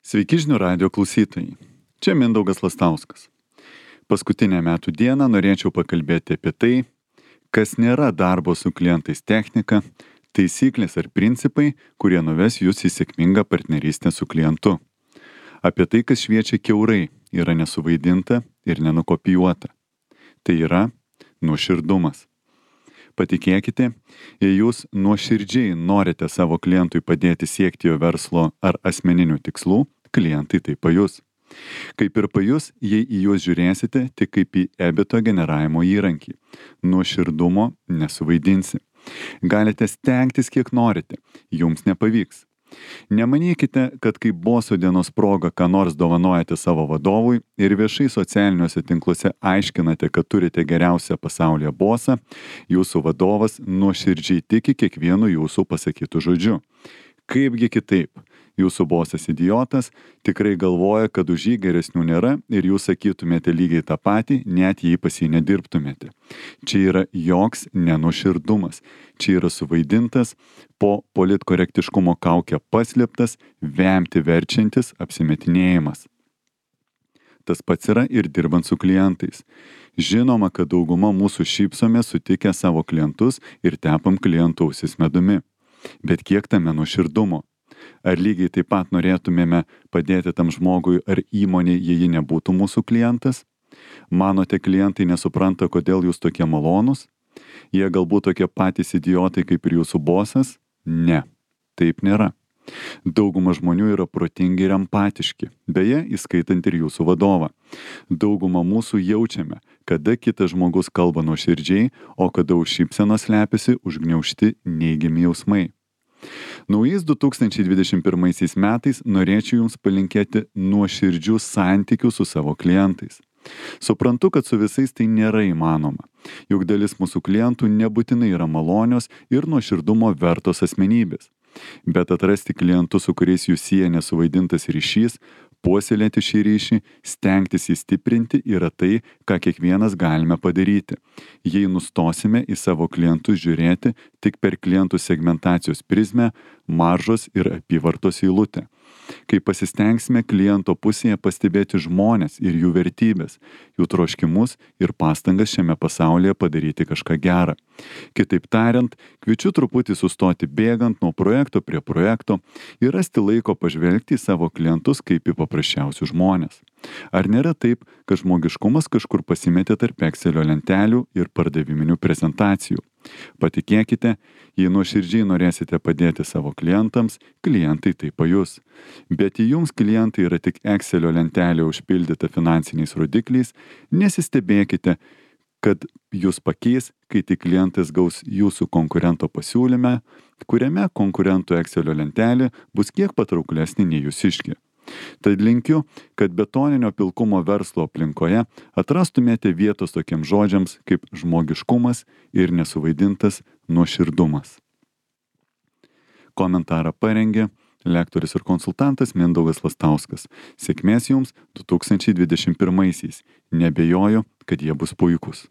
Sveiki žinių radijo klausytojai. Čia Mindaugas Lastauskas. Paskutinę metų dieną norėčiau pakalbėti apie tai, kas nėra darbo su klientais technika, taisyklės ar principai, kurie nuves jūs į sėkmingą partnerystę su klientu. Apie tai, kas šviečia kiaurai, yra nesuvaidinta ir nenukopijuota. Tai yra nuoširdumas. Patikėkite, jei jūs nuoširdžiai norite savo klientui padėti siekti jo verslo ar asmeninių tikslų, klientai tai pajus. Kaip ir pajus, jei į juos žiūrėsite tik kaip į ebito generavimo įrankį. Nuoširdumo nesuvaidinsi. Galite stengtis kiek norite, jums nepavyks. Nemanykite, kad kaip boso dienos proga ką nors dovanojate savo vadovui ir viešai socialiniuose tinkluose aiškinate, kad turite geriausią pasaulyje bosą, jūsų vadovas nuoširdžiai tiki kiekvienu jūsų pasakytų žodžiu. Kaipgi kitaip? Jūsų bosas idiotas tikrai galvoja, kad už jį geresnių nėra ir jūs sakytumėte lygiai tą patį, net jei pas jį nedirbtumėte. Čia yra joks nenuoširdumas. Čia yra suvaidintas, po politkorektiškumo kaukę paslėptas, vemti verčiantis apsimetinėjimas. Tas pats yra ir dirbant su klientais. Žinoma, kad dauguma mūsų šypsome sutikę savo klientus ir tepam klientų ausis medumi. Bet kiek tame nuoširdumo? Ar lygiai taip pat norėtumėme padėti tam žmogui ar įmonei, jei ji nebūtų mūsų klientas? Manote, klientai nesupranta, kodėl jūs tokie malonūs? Jie galbūt tokie patys idiotai kaip ir jūsų bosas? Ne, taip nėra. Dauguma žmonių yra protingi ir empatiški, beje, įskaitant ir jūsų vadovą. Dauguma mūsų jaučiame, kada kitas žmogus kalba nuoširdžiai, o kada už šypsenos slepiasi užgniaužti neigiami jausmai. Naujais 2021 metais norėčiau jums palinkėti nuoširdžių santykių su savo klientais. Suprantu, kad su visais tai nėra įmanoma, juk dalis mūsų klientų nebūtinai yra malonios ir nuoširdumo vertos asmenybės. Bet atrasti klientus, su kuriais jūs sieja nesuvaidintas ryšys, puoselėti šį ryšį, stengtis jį stiprinti yra tai, ką kiekvienas galime padaryti. Jei nustosime į savo klientus žiūrėti tik per klientų segmentacijos prizmę, maržos ir apyvartos eilutę. Kai pasistengsime kliento pusėje pastebėti žmones ir jų vertybės, jų troškimus ir pastangas šiame pasaulyje padaryti kažką gerą. Kitaip tariant, kviečiu truputį sustoti bėgant nuo projekto prie projekto ir rasti laiko pažvelgti į savo klientus kaip į paprasčiausius žmonės. Ar nėra taip, kad žmogiškumas kažkur pasimetė tarp Excelio lentelių ir pardaviminių prezentacijų? Patikėkite, jei nuoširdžiai norėsite padėti savo klientams, klientai tai pajus. Bet jei jums klientai yra tik Excelio lentelė užpildyta finansiniais rodikliais, nesistebėkite, kad jūs pakeis, kai tik klientas gaus jūsų konkurento pasiūlyme, kuriame konkurentų Excelio lentelė bus kiek patrauklesnė nei jūsiškė. Tad linkiu, kad betoninio pilkumo verslo aplinkoje atrastumėte vietos tokiems žodžiams kaip žmogiškumas ir nesuvaidintas nuoširdumas. Komentarą parengė lektorius ir konsultantas Mindaugas Lastauskas. Sėkmės jums 2021-aisiais. Nebejoju, kad jie bus puikūs.